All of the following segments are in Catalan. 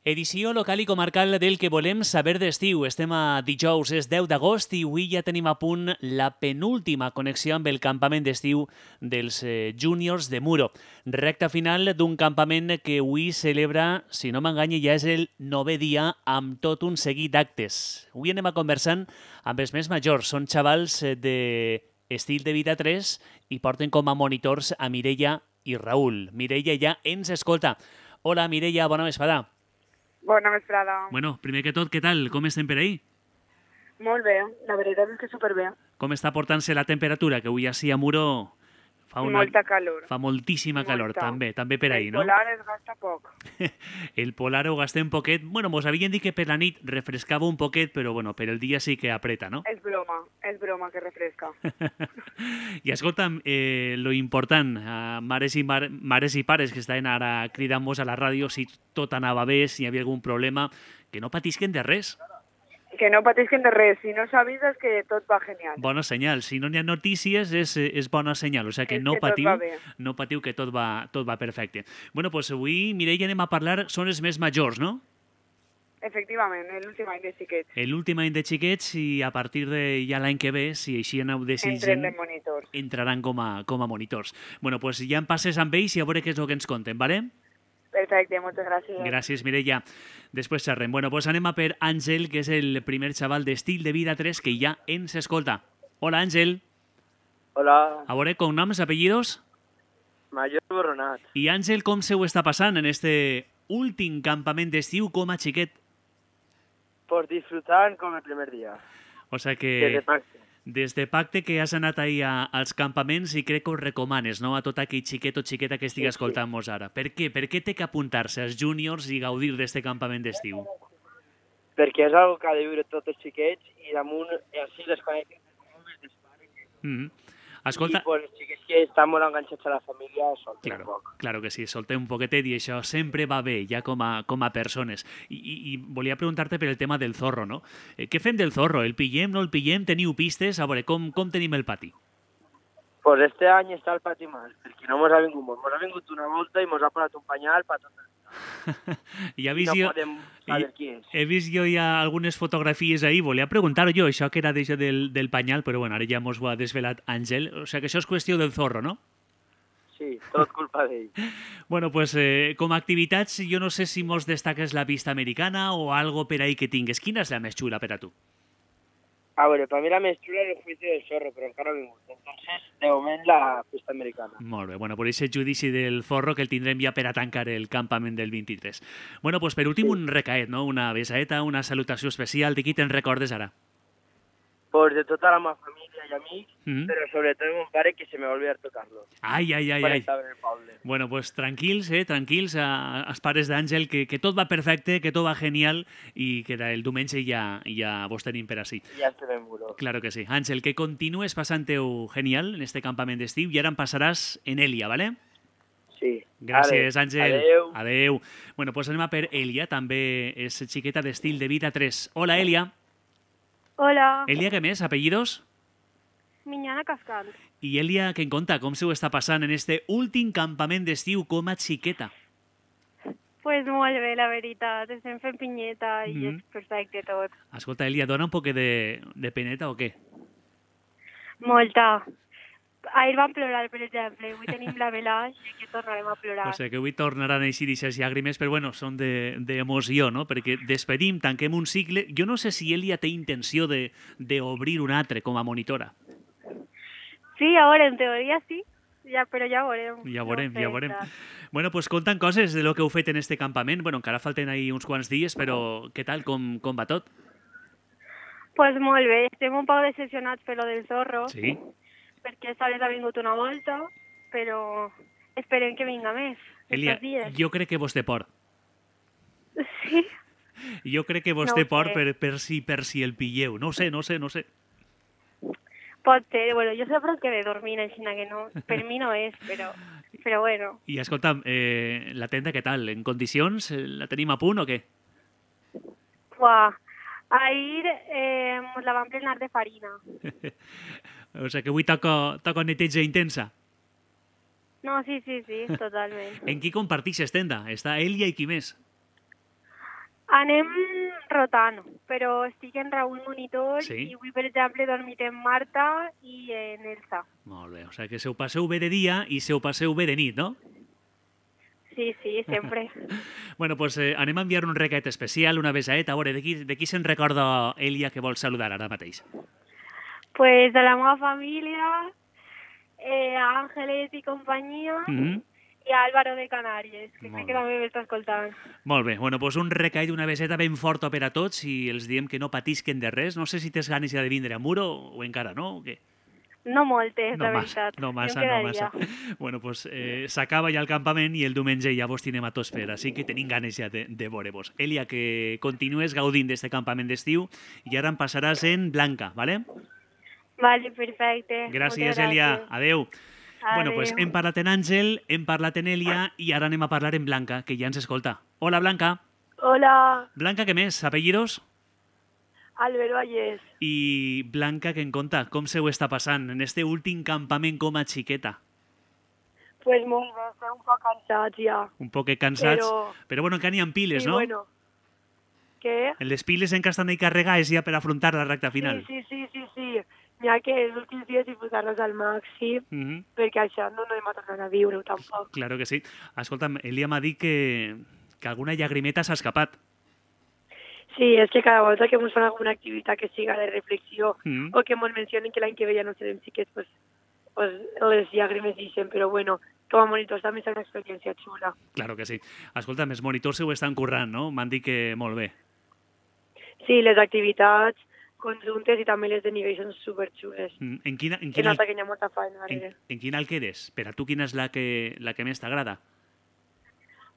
Edició local i comarcal del que volem saber d'estiu. Estem a dijous, és 10 d'agost i avui ja tenim a punt la penúltima connexió amb el campament d'estiu dels júniors de Muro. Recta final d'un campament que avui celebra, si no m'enganya, ja és el 9è dia amb tot un seguit d'actes. Avui anem a conversant amb els més majors. Són xavals de estil de vida 3 i porten com a monitors a Mireia i Raül. Mireia ja ens escolta. Hola, Mireia, bona vesprada. Bona vesprada. Bueno, primer que tot, què tal? Com estem per ahí? Molt bé, la veritat és que superbé. Com està portant-se la temperatura? Que avui així a Muro Molta calor. fa moltíssima calor, també per ahí, no? El polar es gasta poc. El polar ho gastem poquet. Bueno, mos havien dit que per la nit refrescava un poquet, però bueno, per el dia sí que apreta, no? És broma que refresca. I escolta'm, lo important, mares i pares que estaven ara cridant-nos a la ràdio si tot anava bé, si hi havia algun problema, que no patisquen de res. Que no patisquen de res, si no s'avisa és que tot va genial. Bona senyal, si no n'hi ha notícies és bona senyal, o sigui que no patiu que tot va perfecte. Bueno, doncs avui, Mireia, anem a parlar, són els més majors, no? Efectivament, l'últim any de xiquets. L'últim any de xiquets i a partir de ja l'any que ve, si així aneu decidint, entraran com a monitors. Bueno, doncs ja en passes amb ells i a veure què és el que ens conten, ¿vale? Perfecte, moltes gràcies. Gràcies, Mireia. Després xerrem. Bueno, doncs anem a per Àngel, que és el primer xaval d'estil de vida 3 que ja ens escolta. Hola, Àngel. Hola. A veure, cognoms, apellidos? Mayor Borronat. I Àngel, com se ho està passant en este últim campament d'estiu com a xiquet? Pues disfrutant com el primer dia. O sigui que... Des de Pacte. Que has anat ahir als campaments i crec que ho recomanes, no?, a tot aquell xiquet o xiqueta que estigui escoltant-nos ara. Per què? Per què té que apuntar-se als júniors i gaudir d'aquest campament d'estiu? Perquè és una que ha de viure tots els xiquets i damunt així les connecten dels pares. Escolta... I pues, els xiquets que estan molt enganxats a la família solten un poc. Claro que sí, soltem un poquetet i això sempre va bé, ja com a persones. I volia preguntar-te per el tema del zorro, no? Què fem del zorro? El pillem, no el pillem? Teniu pistes? A veure, com tenim el pati? Pues este any està el pati mal, perquè no mos ha vingut molt. Mos ha vingut una volta i mos ha posat un panyal per tot el ja no podem saber qui és. He vist jo ja algunes fotografies ahir, volia preguntar jo això que era d'això del panyal, però bueno, ara ja mos ho ha desvelat Àngel, o sigui que això és qüestió del zorro, no? Sí, tot culpa d'ell. Bueno, pues com a activitats, jo no sé si mos destaques la pista americana o algo per ahí que tingues. Quina és la més xula per a tu? A veure, per mi la més xula és el juici del zorro, però encara no ha vingut. Entonces, de moment, la pista americana. Molt bé, bueno, per aquest judici del zorro que el tindrem ja per a tancar el campament del 23. Bueno, pues per últim un recaet, no? Una besaeta, una salutació especial. De qui te'n recordes ara? Pues de tota la meva família i amics, però sobretot de mon pare, que se me va olvidar tocar-lo. Ai. Bueno, pues tranquils, tranquils, els pares d'Àngel, que tot va perfecte, que tot va genial i que el diumenge ja vos tenim per ací. Ja estem en Muro. Claro que sí. Àngel, que continues passant-ho genial en este campament d'estiu i ara en passaràs en Elia, ¿vale? Sí. Gràcies, Àngel. Adeu. Bueno, pues anem a per Elia, també és xiqueta d'estil de vida 3. Hola, Elia. Hola. Elia, què més? Apellidos? Miñana Cascant. I Elia, què en conta? Com se ho està passant en este últim campament d'estiu com a xiqueta? Pues molt bé, la veritat. Estem fent pinyeta i és perfecte tot. Escolta, Elia, dona un poc de peneta o què? Molta. Ahir vam plorar, per exemple. Avui tenim la velaix i que tornarem a plorar. O sigui que avui tornaran a eixir aquestes llàgrimes, però bueno, són d'emoció, no? Perquè despedim, tanquem un cicle. Jo no sé si Elia té intenció d'obrir un altre com a monitora. Sí, a veure, en teoria sí, però ja veurem. Ja veurem. Bueno, pues contant coses de lo que heu fet en este campament. Bueno, encara falten ahí uns quants dies, però què tal, com va tot? Pues molt bé, estem un poc decepcionats per lo del zorro. Sí. Perquè esta vez ha vingut una volta, però esperem que vinga més. Elia, jo crec que vos té por. Sí? Jo crec que vos té por per si el pilleu. No sé. Pot ser, bueno, jo sempre que de dormir, així que no, per mi no és, però bueno. I escolta'm, la tenda què tal? En condicions? La tenim a punt o què? Uah, ahir la vam plenar de farina. O sigui que avui toca neteja intensa. No, sí, totalment. En qui compartixes tenda? Està Elia i qui més? Anem rotant, però estic en Raül Monitor Sí. i avui, per exemple, he dormit en Marta i en Elsa. Molt bé, o sigui que se ho passeu bé de dia i se ho passeu bé de nit, no? Sí, sí, sempre. Bueno, pues anem a enviar un recat especial, una besaeta. A veure, de qui se'n recorda Elia que vol saludar ara mateix? Pues de la meva família, a Ángeles i companyia, i a Álvaro de Canàries, que Molt sé que bé. també m'està escoltant. Molt bé, bueno, pues un recat i una beseta ben forta per a tots i els diem que no patisquen de res. No sé si tens ganes ja de vindre a Muro o encara no, o què? No moltes, No la massa, veritat. no massa, Jo em no quedaria. massa. Bueno, pues s'acaba ja el campament i el diumenge ja vos tinem a tots per, així que tenim ganes ja de veure-vos. Elia, que continues gaudint d'este campament d'estiu i ara em passaràs en Blanca, ¿vale? Vale, perfecte. Gràcies, Moltes Elia. gràcies. Adeu. Bueno, pues Adeu. hem parlat en Àngel, hem parlat en Elia i ara anem a parlar en Blanca, que ja ens escolta. Hola, Blanca. Hola, Blanca, què més? Apellidos? Albert Vallès. I Blanca, que en conta, com se ho està passant en este últim campament com a xiqueta? Pues molt bé, estem un poc cansats ja. Un poc cansats, però bueno, encara n'hi ha piles, sí, no? bueno. Què? Les piles encara estan ahí carregades ja per afrontar la recta final. Sí. N'hi ha que els últims dies disfrutar-los al màxim, perquè això no hem tornat a viure-ho tampoc. Claro que sí. Escolta'm, Elia m'ha dit que alguna llagrimeta s'ha escapat. Sí, és que cada volta que ens fan alguna activitat que siga de reflexió Mm. o que ens mencionen que l'any que ve ja no serem xiquets, pues les llàgrimes dicen, però bueno, com a monitors també és una experiència xula. Claro que sí. Escolta'm, els monitors se ho estan currant, no? M'han dit que molt bé. Sí, les activitats conjuntes i també les de nivell són superxules. En quina, Que nota que hi ha molta feina darrere. en quina el quedes? Per a tu, quina és la que més t'agrada?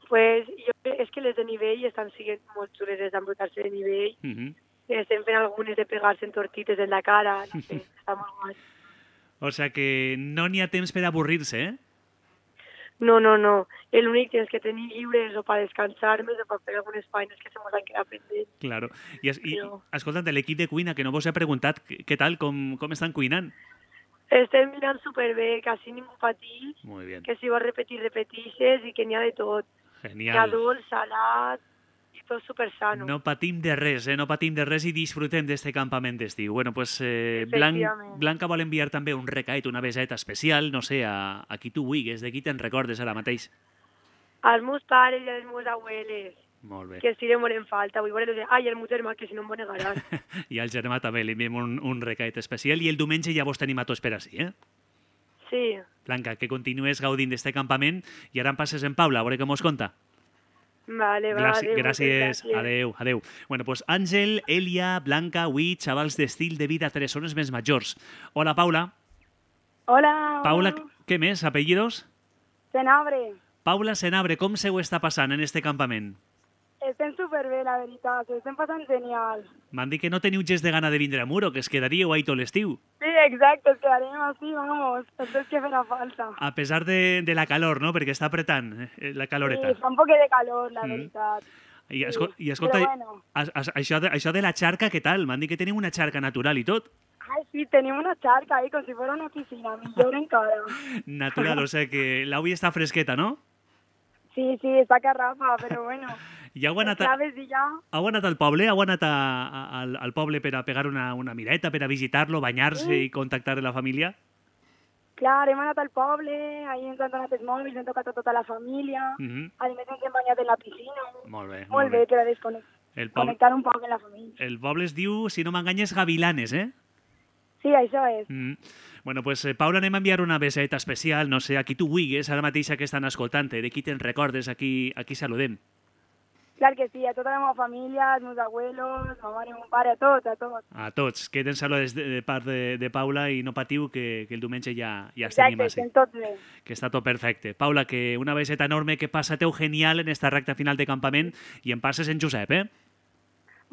Pues és que les de nivell estan sent molt xules, les d'embrutar-se de nivell. Estem fent algunes de pegar-se en tortites en la cara, no sé, està molt guai. O sea que no n'hi ha temps per avorrir-se, eh? No. L'únic temps que tenim lliure és o per descansar-nos o per fer algunes feines que se mos han quedat pendents. Claro. I Però- escolta't, de l'equip de cuina, que no vos he preguntat, què tal, com estan cuinant? Estem mirant superbé, quasi ningú patix, Muy bien. que si vols repetir, repetixes i que n'hi ha de tot. N'hi ha Genial. dolç, salat i tot supersano. No patim de res, no patim de res i disfrutem d'este campament d'estiu. Bueno, pues Efectivament. Blanca vol enviar també un recaet, una beseta especial, no sé, a qui tu vulguis, de qui te'n recordes ara mateix. Els meus pares i els meus abueles, Molt bé. que sí li moren falta. Vull veure, ai, el meu germà, que si no em negaran. I al germà també li enviem un recaet especial i el diumenge ja vos tenim a tots per ací, eh? Sí, Blanca, que continues gaudint d'este campament i ara em passes en Paula, a veure què mos conta. vale, Gràcies. Adeu. Bueno, pues Àngel, Elia, Blanca, avui, xavals d'estil de vida 3 zones més majors. Hola, Paula. Hola. Paula, què més? Apellidos? Senabre. Paula Senabre, com se ho està passant en este campament? Estem superbé, la veritat. Ho estem passant genial. M'han dit que no teniu gest de gana de vindre a Muro, que es quedaríeu ahí tot l'estiu. Sí, exacte. Es quedarem así, vamos. Esto es que farà falta. A pesar de la calor, no? Perquè està apretant la caloreta. Sí, fa un poquet de calor, la veritat. I, Sí, escolta, però bueno. això de la xarca, què tal? M'han dit que teniu una xarca natural i tot. Ai, sí, tenim una xarca ahí, com si fuera una piscina. Millor encara. Natural, o sea que l'avui està fresqueta, no? Sí, està que rafa, però bueno. I heu anat, Claves i ja. heu anat al poble? Heu anat al poble per a pegar una mireta, per a visitar-lo, banyar-se i contactar amb la família? Clar, hem anat al poble, ahí ens han donat els mòbils, hem tocat a tota la família. A més, ens hem banyat en la piscina. Molt bé. Molt bé, per a desconnectar un poc amb la família. El poble es diu, si no m'enganyes, Gavilanes, eh? Sí, això és. Bueno, pues, Paula, anem a enviar una beseta especial, no sé, a qui tu vulguis, ara mateix que estan escoltant-te, de qui te'n recordes, a qui saludem. Clar que sí, a tota la meva família, als meus abuelos, ma mare, mon pare, a tots, a tots. A tots, queden saludats de part de Paula i no patiu que el diumenge ja tenim Exacte, així. estem tots bé. Que està tot perfecte. Paula, que una beseta enorme, que passateu genial en esta recta final de campament i en passes en Josep, eh?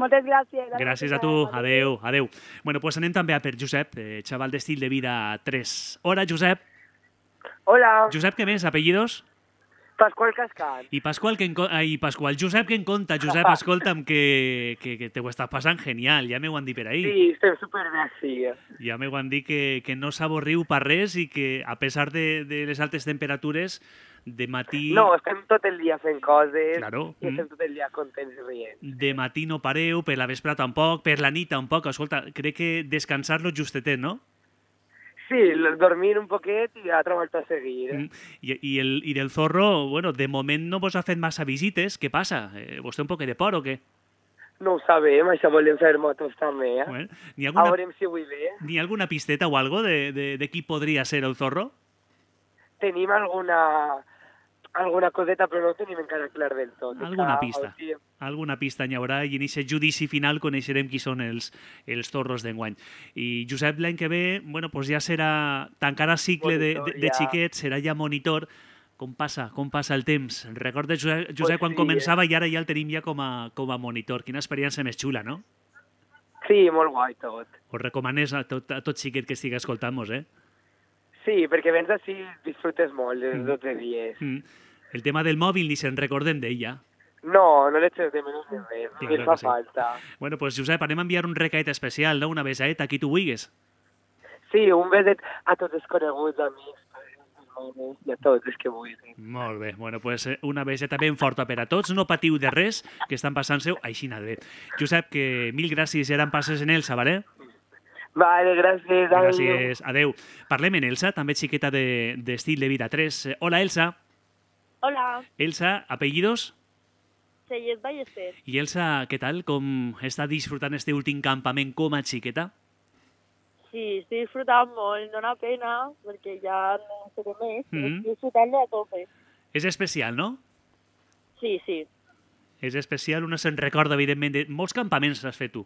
Moltes gràcies. Gràcies a tu. Adeu. Bueno, pues anem també a per Josep, xaval d'estil de vida 3. Hola, Josep. Hola, Josep, què més? Apellidos? Pasqual Cascat. I Pasqual, Josep, que en conta? Josep, escolta'm, que te ho estàs passant genial, ja m'ho han dit per ahir. Sí, estem superbé, sí. Ja m'ho han dit que no s'avorriu per res i que, a pesar de les altes temperatures, De matí... No, estem tot el dia fent coses Claro. i estem tot el dia contents i rient. De matí no pareu, per la vespre tampoc, per la nit tampoc. Escolta, crec que descansar-lo justetet, no? Sí, dormir un poquet i altra volta a seguir. I del Zorro, bueno, de moment no vos ha fet massa visites. Què passa? Vos té un poc de por o què? No ho sabem, això volem fer motos també, Bueno, A veurem si avui ve. N'hi ha alguna pisteta o algo de qui podria ser el Zorro? Tenim alguna coseta, però no ho tenim encara clar del tot. Alguna pista. Alguna pista n'hi haurà i en aquest judici final coneixerem qui són els Zorros d'enguany. I Josep, l'any que ve, bueno, pues ja serà tancarà cicle Monitor, de ja. xiquet, serà ja monitor. Com passa el temps? Recordes, Josep, Pues quan sí, començava i ara ja el tenim ja com a monitor. Quina experiència més xula, no? Sí, molt guai tot. Us recomanes a tot xiquet que estigui escoltant-nos, eh? Sí, perquè vens així disfrutes molt els 12 dies. El tema del mòbil ni se'n recorden d'ella. No, no l'eches de menys de res, Claro no fa que sí. falta. Bueno, pues Josep, anem a enviar un recaet especial, no? Una besaeta, a qui tu vulguis. Sí, un beset a tots els coneguts, amics, mares, i a tots els que vulguin. Molt bé, bueno, pues una beseta ben forta per a tots. No patiu de res, que estan passant-se així bé. Josep, que mil gràcies, eren passes en Elsa, vale? Vale, gràcies. Gràcies, adeu. Parlem en Elsa, també xiqueta d'estil de vida 3. Hola, Elsa. Hola, Elsa, apellidos? Sellet Ballester. I Elsa, què tal? Com està disfrutant este últim campament com a xiqueta? Sí, estic disfrutant molt, dona pena, perquè ja no sé què més, Mhm. estic disfrutant-lo a tope. És especial, no? Sí, sí. És especial, una se'n recorda, evidentment, de molts campaments has fet tu.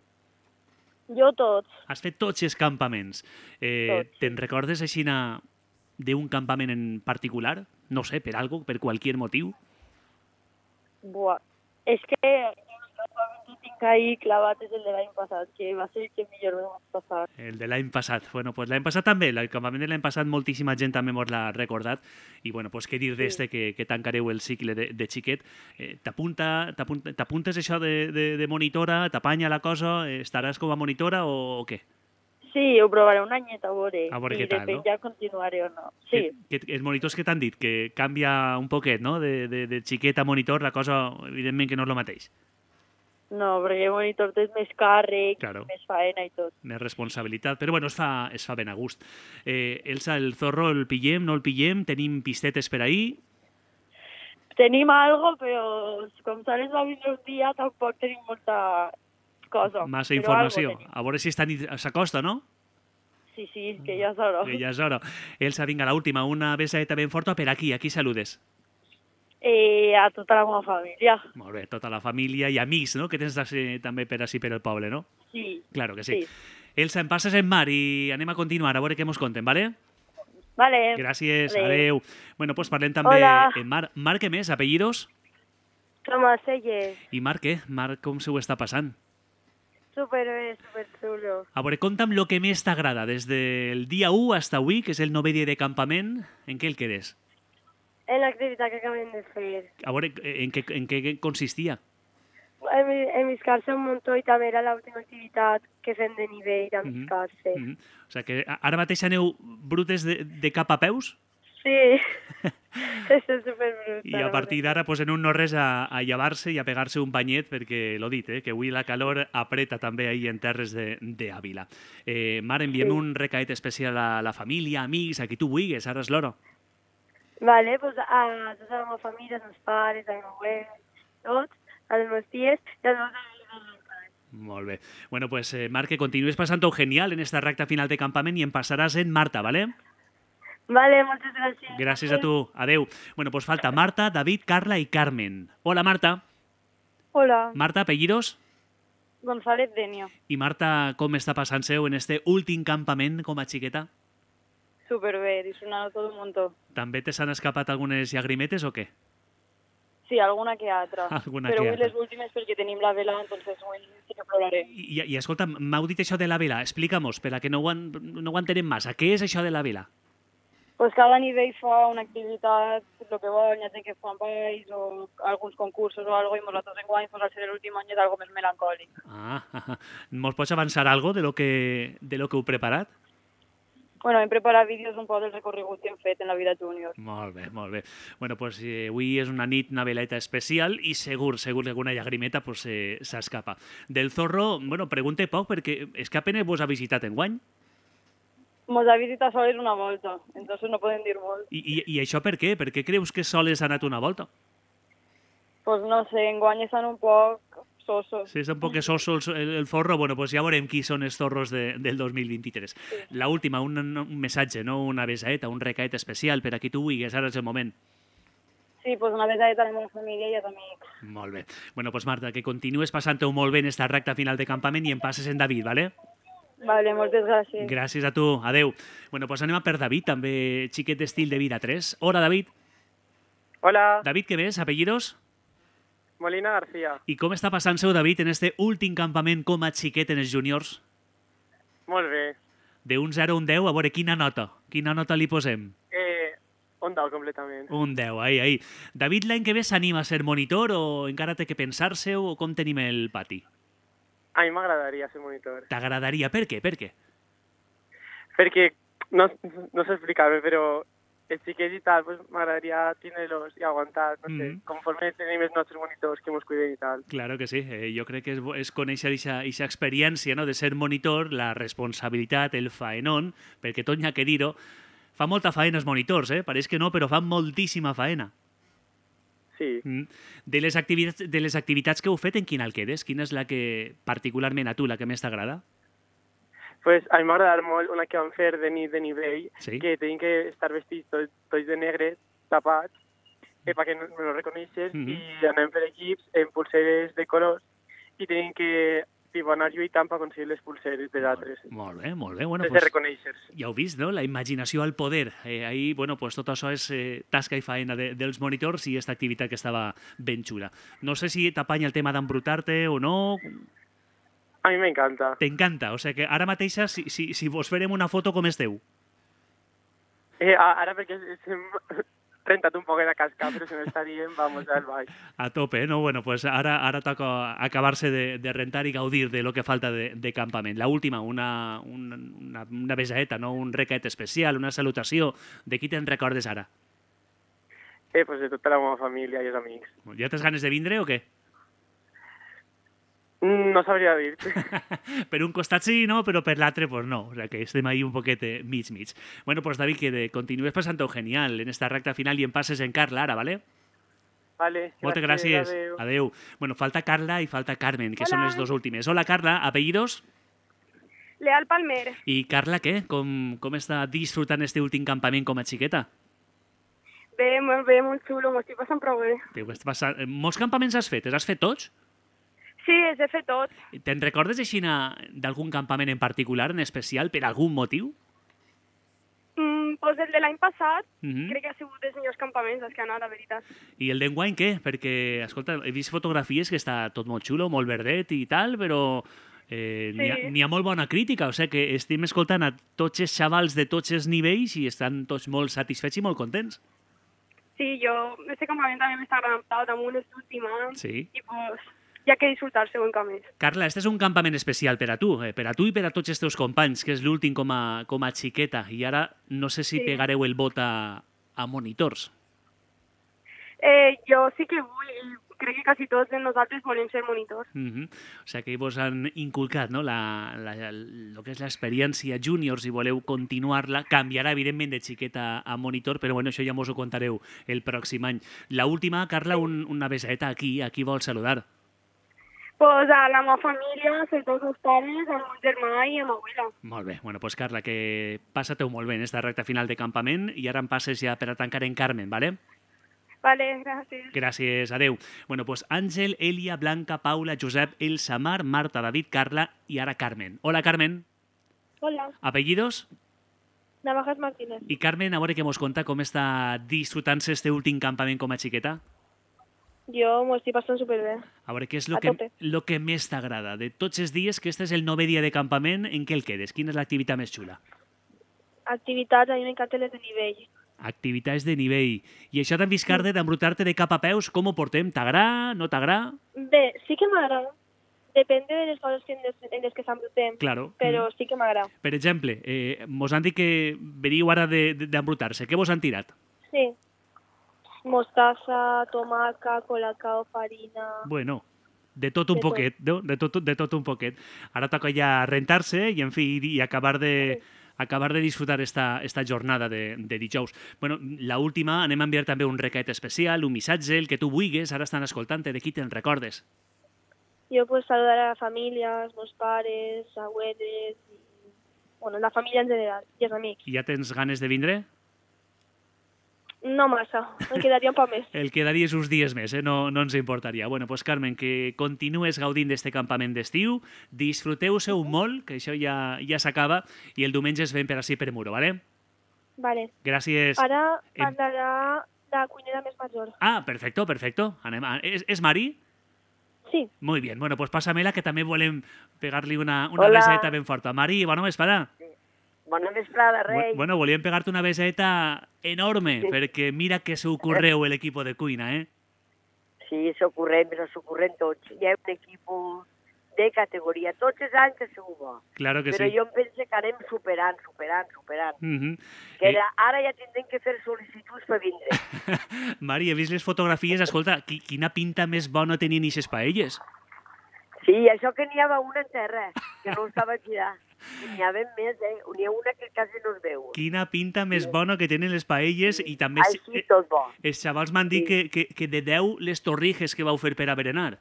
Jo tots. Has fet tots els campaments. Tots, sí. Te'n recordes així d'un campament en particular? No sé, per algo, per qualsevol motiu? Buah. És que el campament que tinc ahí clavat és el de l'any passat, que va ser el que millor vam passar. El de l'any passat. Bueno, pues l'any passat també, el campament de l'any passat moltíssima gent també mos l'ha recordat. I bueno, pues què dir d'este que tancareu el cicle de xiquet. T'apuntes això de monitora? T'apanya la cosa? Estaràs com a monitora o què? Sí, ho provaré un anyet a veure què i tal, depèn no? ja continuaré o no. Sí, Els monitors que t'han dit, que canvia un poquet, no? De xiquet a monitor, la cosa, evidentment, que no és el mateix. no, perquè el monitor té més càrrec, Claro. més faena i tot. Més responsabilitat, però bueno, es fa ben a gust. Elsa, el Zorro el pillem, no el pillem? Tenim pistetes per ahir? Tenim algo, però com sols va vindre un dia, tampoc tenim molta cosa. Massa però informació. algo tenim. A veure si s'acosta, no? Sí, sí, que ja és hora. Que ja és hora. Elsa, vinga, l'última, una besaeta ben forta per aquí. Aquí saludes. A tota la meva família. Molt bé, tota la família i amics, no? Que tens també per així per el poble, no? Sí. Claro que sí. Sí. Elsa, em passes en mar i anem a continuar, a veure què mos conten, vale? Vale. Gràcies, Adéu. adeu. Bueno, pues parlem també Hola. en Mar. Mar, què més? Apellidos? Tomàs Sellet. I Marc, què? Marc, com se ho està passant? Superbé, superxulo. A veure, conta'm el que més t'agrada, des del dia 1 fins avui, que és el 9è dia de campament, en què el quedes? En l'activitat que acabem de fer. A veure, en què consistia? Enviscar-se un muntó i també era l'última activitat que fem de nivell d'enviscar-se. O sigui que ara mateix aneu brutes de cap a peus Sí, això és superbrutal. i a partir d'ara pues, en un no res a llevar-se i a pegar-se un banyet perquè, l'ho dit, que avui la calor apreta també ahir en terres d'Àvila. Mar, enviem un recaet especial a la família, amics, a qui tu vulguis, ara és l'hora. Vale, pues a tota la meva família, als meus pares, al meu abuelo, tots, a les meves ties i als meus amics. Molt bé. Bueno, pues Marc, que continues passant-ho genial en esta recta final de campament i em passaràs en Marta, ¿vale? Vale, moltes gràcies. Gràcies a tu. Adeu. Bueno, pues falta Marta, David, Carla i Carmen. Hola, Marta. Hola, Marta, apellidos? González Denio. I Marta, com està passant-se en este últim campament com a xiqueta? Superbé, disfrutando todo un montón. També te s'han escapat algunes llagrimetes o què? Sí, alguna que altra. Alguna Però que avui altra. les últimes perquè tenim la vela, entonces avui sí que ploraré. I escolta, m'heu dit això de la vela. Explica-mos, per a que no ho entenem massa. Què és això de la vela? Pues cada nivell fa una activitat, lo que vol, ja sé que fan balls o alguns concursos o algo, i nosaltres en guany, pues al ser l'últim any és algo més melancòlic. Mos pots avançar algo de lo que heu preparat? Bueno, hem preparat vídeos un poc del recorregut que hem fet en la vida júnior. Molt bé, molt bé. Bueno, pues avui és una nit, una veleta especial i segur que alguna llagrimeta pues, s'escapa. Del Zorro, bueno, pregunte poc perquè és que apenas vos ha visitat enguany. Mos ha visitat sols una volta, entonces no podem dir molt. I això per què? Per què creus que sols ha anat una volta? Pues no sé, enguany estan un poc sosos. Sí, és un poc soso el Zorro. Bueno, pues ja veurem qui són els Zorros del 2023. Sí. La última, un missatge, no? Una besaeta, un recaet especial per a qui tu vulguis, ara és el moment. Sí, pues una besaeta a la meva família i als amics. Molt bé. Bueno, pues Marta, que continues passant-ho molt bé en esta recta final de campament i en passes en David, ¿vale? Vale, moltes gràcies. Gràcies a tu, adeu. Bueno, pues anem a per David, també xiquet d'estil de vida 3. Hola, David. Hola. David, què ves? Apellidos? Molina García. I com està passant-se, David, en este últim campament com a xiquet en els júniors? Molt bé. De un 0 a un 10, a veure, quina nota li posem? Un 10, completament. Un 10, ahí. David, l'any que ve s'anima a ser monitor o encara té que pensar-se o com tenim el pati? A mi m'agradaria ser monitor. T'agradaria? Per què? Perquè, no sé explicar-me, però els xiquets i tal, pues, m'agradaria tenir-los i aguantar, no sé, conforme tenim els nostres monitors que ens cuiden i tal. Claro que sí, jo crec que és conèixer aquesta experiència, no?, de ser monitor, la responsabilitat, el faenón, perquè tot n'hi ha que dir-ho, fa molta faena els monitors, pareix que no, però fan moltíssima faena. Sí. De les activitats que heu fet, en quina el quedes? Quina és la que, particularment a tu, la que més t'agrada? Pues a mi m'ha agradat molt una que vam fer de nit de nivell, sí? Que tenim que estar vestits tots de negre, tapats, perquè no lo reconeixes, i anem per equips en pulseres de colors, i tenim que anar lluitant per aconseguir les pulseres de d'altres. Molt bé. Bueno, pues, de reconèixer. Ja heu vist, no? La imaginació al poder. Ahí, bueno, pues tot això és tasca i faena dels monitors i aquesta activitat que estava ben xula. No sé si t'apanya el tema d'embrutar-te o no. A mi m'encanta. T'encanta? O sigui que ara mateixa, si vos farem una foto, com esteu? Ara perquè hem rentat un poc de cascar, però si no estaríem, vamos, al baix. A tope, no? Bueno, pues ara toca acabar-se de rentar i gaudir de lo que falta de campament. La última, una besaeta, no? Un recaet especial, una salutació. De qui te'n recordes ara? Pues de tota la meva família i els amics. Ja tens ganes de vindre o què? No sabria dir. Per un costat sí, no? Però per l'altre, pues no. O sea, que estem ahí un poquet mig. Bueno, pues David, que continues passant-ho genial en esta recta final i en passes en Carla ara, ¿vale? Vale. Moltes gràcies. Adeu. Bueno, falta Carla i falta Carmen, que són les dos últimes. Hola, Carla. Apellidos? Leal Palmer. I Carla, què? Com està disfrutant este últim campament com a xiqueta? Bé, molt xulo. M'ho estic passant prou bé. Molts campaments has fet? Els has fet tots? Sí, els he fet tots. Te'n recordes així d'algun campament en particular, en especial, per algun motiu? Pues el de l'any passat, crec que ha sigut dels millors campaments als que ha anat, la veritat. I el d'enguany què? Perquè, escolta, he vist fotografies que està tot molt xulo, molt verdet i tal, però n'hi ha molt bona crítica, o sigui que estem escoltant a tots els xavals de tots els nivells i estan tots molt satisfets i molt contents. Sí, este campament també m'està agradant damunt l'últim any. Sí. I pues hi ha que disfrutar-se un camí. Carla, este és un campament especial per a tu i per a tots els teus companys, que és l'últim com a xiqueta, i ara no sé si pegareu el vot a monitors. Jo sí que vull, crec que quasi tots de nosaltres volem ser monitors. O sigui que vos han inculcat, no?, el que és l'experiència júniors i voleu continuar-la. Canviarà, evidentment, de xiqueta a monitor, però bueno, això ja mos ho contareu el pròxim any. La última, Carla, una besaeta aquí. A qui vols saludar? Pues a la meva família, sobretot els meus pares, al meu germà i a l'abuela. Molt bé. Bueno, pues Carla, que passa-te-ho molt bé en esta recta final de campament i ara em passes ja per a tancar en Carmen, ¿vale? Vale, gràcies. Gràcies, adeu. Bueno, pues Àngel, Elia, Blanca, Paula, Josep, Elsa, Mar, Marta, David, Carla i ara Carmen. Hola, Carmen. Hola. Apellidos? Navajas Martínez. I Carmen, a veure què mos conta com està disfrutant-se este últim campament com a xiqueta. Jo m'ho estic passant superbé. A veure, què és lo que més t'agrada? De tots els dies, que este és el 9è dia de campament, en què el quedes? Quina és l'activitat més xula? Activitats, a mi m'encanten les de nivell. Activitats de nivell. I això d'embiscar-te, d'embrutar-te de cap a peus, com ho portem? T'agrada? No t'agrada? Bé, sí que m'agrada. Depèn de les coses en les que s'embrutem, Claro. però sí que m'agrada. Per exemple, mos han dit que veniu ara d'embrutar-se. Què vos han tirat? Sí. Mostassa, tomaca, colacao, farina... Bueno, de tot un poquet, no? De tot un poquet. Ara toca ja rentar-se i, en fi, i acabar de disfrutar esta jornada de dijous. Bueno, l'última, anem a enviar també un requet especial, un missatge, el que tu vulguis, ara estan escoltant-te, de qui te'n recordes? Jo pues saludar a la família, als meus pares, abueles, bueno, la família en general, i els amics. I ja tens ganes de vindre? No massa, em quedaria un poc més. El quedaries uns dies més, no ens importaria. Bueno, pues Carmen, que continues gaudint d'este campament d'estiu, disfruteu-se-ho molt, que això ja s'acaba, i el diumenge es ven per ací per Muro, ¿vale? Vale. Gràcies. Ara parlarà la cuinera més major. Ah, perfecto. Anem ¿Es Mari? Sí. Muy bien, bueno, pues pásamela, que també volem pegar-li una Hola. beseta ben forta. Mari, bona vesprada. Bona vesprada, rei. Bueno, volíem pegar-te una beseta enorme, perquè mira que s'ocorreu l'equip de cuina, eh? Sí, s'ocorrem, però s'ocorrem tots. Hi ha un equip de categoria. Tots els anys que segur bo. Claro que però sí. jo em penso que anem superant. Mhm. Que ara ja tindrem que fer sol·licituds per vindre. Mari, he vist les fotografies, escolta, quina pinta més bona tenien ixes paelles. Sí, això que n'hi havia una en terra, que no estava aquí. N'hi havia més, N'hi ha una que quasi no es veu. Quina pinta més bona que tenen les paelles, i també Així tot bo. els xavals m'han dit que de 10 les torrijes que vau fer per a berenar.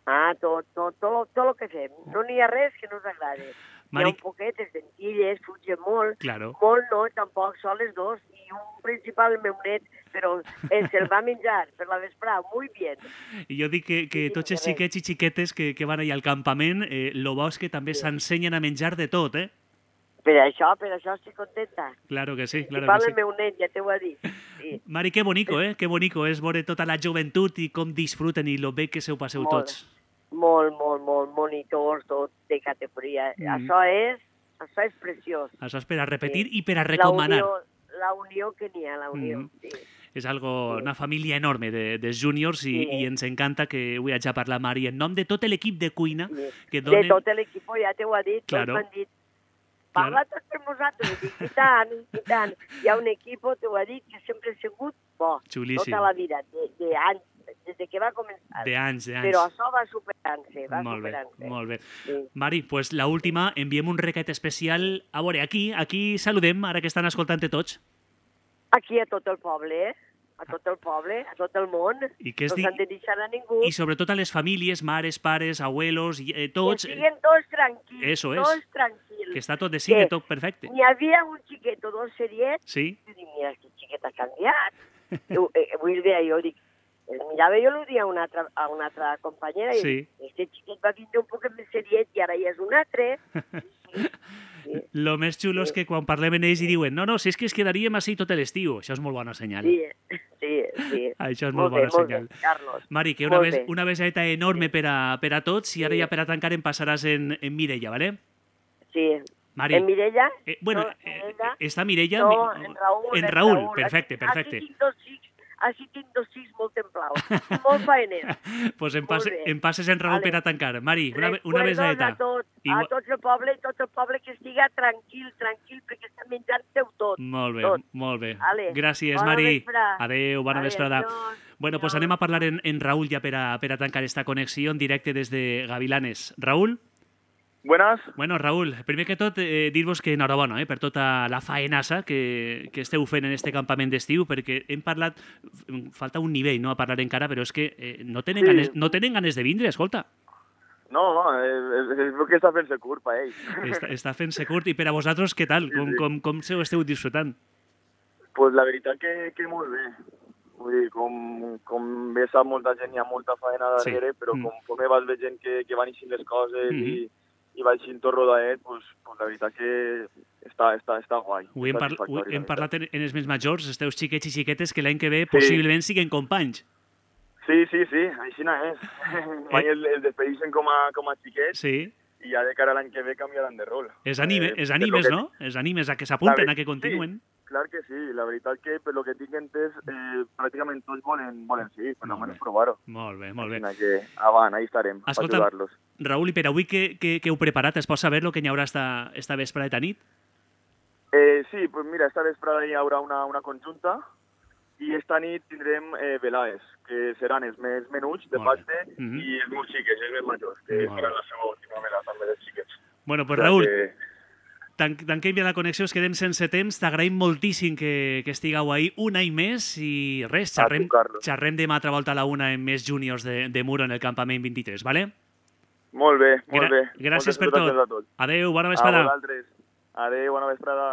Ah, tot el que fem. No n'hi ha res que no us agradi. Hi ha un poquet, les lentilles, fugen molt. Claro. Molt no, tampoc, són les dos. I un principal, el meu net, però se'l va menjar per la vesprada, molt bé. I jo dic que tots els xiquets i xiquetes que van allà al campament, lo bo és que també s'ensenyen a menjar de tot, eh? Per això estic contenta. Claro que sí, claro Principal que sí. el meu net, ja t'ho ha dit. Sí. Mari, que bonico, eh? Que bonico és veure tota la joventut i com disfruten i lo bé que s'ho passeu tots. Molt, monitors, tot de categoria. Això és preciós. Això és per a repetir i per a recomanar. La unió que n'hi ha, sí. És una família enorme de júniors i ens encanta que avui haig de parlar, Mari, en nom de tot l'equip de cuina que donen... De tot l'equip, ja t'ho ha dit, claro. Tots m'han dit, parla tot per nosaltres, i tant. Hi ha un equip, t'ho ha dit, que sempre ha sigut bo. Xulíssim. Tota la vida, d'anys, des que va començar. D'anys. Però això va superant-se, Molt bé. Sí. Mari, pues la última, enviem un requet especial. A veure, aquí saludem, ara que estan escoltant tots. Aquí a tot el poble, a tot el món. I què es no dic? s'han de deixar a ningú. I sobretot a les famílies, mares, pares, abuelos, tots. Que siguin tots tranquils. Eso és. Tots tranquils. Que està tot de cine, tot perfecte. N'hi havia un xiquet o dos seriets. Sí. I dic, mira, aquest xiquet ha canviat. Vull dir, jo dic, mirava jo el dia a una altra companyera i sí. Aquest xiquet va vindre un poc més seriet i ara ja és un altre. Sí. Lo més xulo és que quan parlem amb ells i diuen no, si és que es quedaríem així tot l'estiu. Això és molt bona senyal. Sí. Això és molt bona senyal. Bé, Carlos. Mari, que una beseta enorme per a tots i ara ja per a tancar em passaràs en Mireia, ¿vale? Sí. Mari. En Mireia? Mireia. ¿Està Mireia? No, en Raül. En Raül, perfecte. Així tinc dos fills molt templaus, molt faeners. Pues em passes en Raül per a tancar. Mari, una beseta. A tot el poble que estiga tranquil, perquè està menjant-ho tot. Molt bé. Gràcies, Mari. Adéu, bona vesprada. Bueno, pues anem a parlar en Raül ja per a tancar esta connexió en directe des de Gavilanes. Raül? Buenas. Bueno, Raül, primer que tot, dir-vos que enhorabona per tota la faenassa que esteu fent en este campament d'estiu, perquè hem parlat, falta un nivell a parlar encara, però és que no tenen ganes de vindre, escolta. No, és que està fent-se curt per ells. Està fent-se curt, i per a vosaltres què tal? Com se ho esteu disfrutant? Pues la veritat que molt bé. Vull dir, com bé sap molta gent, hi ha molta faena darrere, però conforme vas veient que van eixint les coses i va eixint tot rodadet, pues la veritat que està guai. Avui hem parlat en els més majors, els teus xiquets i xiquetes, que l'any que ve possiblement siguen companys. Sí, així no és. Mai el despedeixen com a xiquets i ja de cara a l'any que ve canviaran de rol. Els animes, no? Els animes a que s'apunten, a que continuen. Clar que sí, la veritat que per lo que tinc entès pràcticament tots volen seguir, per almenys provar-ho. Molt bé, molt bé. Que avant, ahí estarem, per ajudar-los. Raül, i per avui què heu preparat? Es pot saber el que hi haurà esta vesprada de nit? Sí, pues mira, esta vesprada hi haurà una conjunta i esta nit tindrem velades, que seran els més menuts de pacte i els més xiques, els més majors, que faran la seva última vela també dels xiquets. Bueno, pues Raül, tanquem ja la connexió, es quedem sense temps, t'agraïm moltíssim que estigueu ahí un any més i res, xerrem demà altra volta a la una en més júniors de Muro en el campament 23, vale? Molt bé, molt bé. Gràcies per tot. Adéu, bona vesprada. A vosaltres. Adéu, bona vesprada.